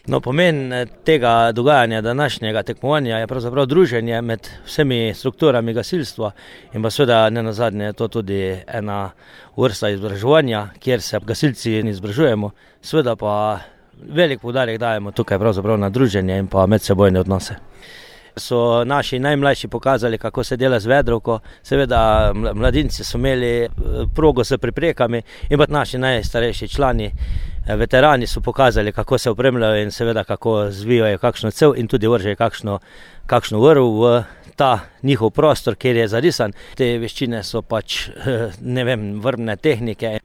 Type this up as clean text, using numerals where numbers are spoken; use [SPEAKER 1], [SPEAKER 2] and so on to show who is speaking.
[SPEAKER 1] No, pomen tega dogajanja današnjega tekmovanja je pravzaprav druženje med vsemi strukturami gasilstva in pa seveda nenazadnje je to tudi ena vrsta izobraževanja, kjer se gasilci izobražujemo, seveda pa velik poudarek dajemo tukaj pravzaprav na druženje in pa medsebojne odnose. So naši najmlajši pokazali, kako se dela z vedrovko, seveda mladinci so imeli progo s priprekami in pa naši najstarejši člani, veterani so pokazali, kako se opremljajo in seveda kako zvijajo kakšno cev in tudi vržejo kakšno vrv v ta njihov prostor, kjer je zarisan. Te veščine so vrvne tehnike.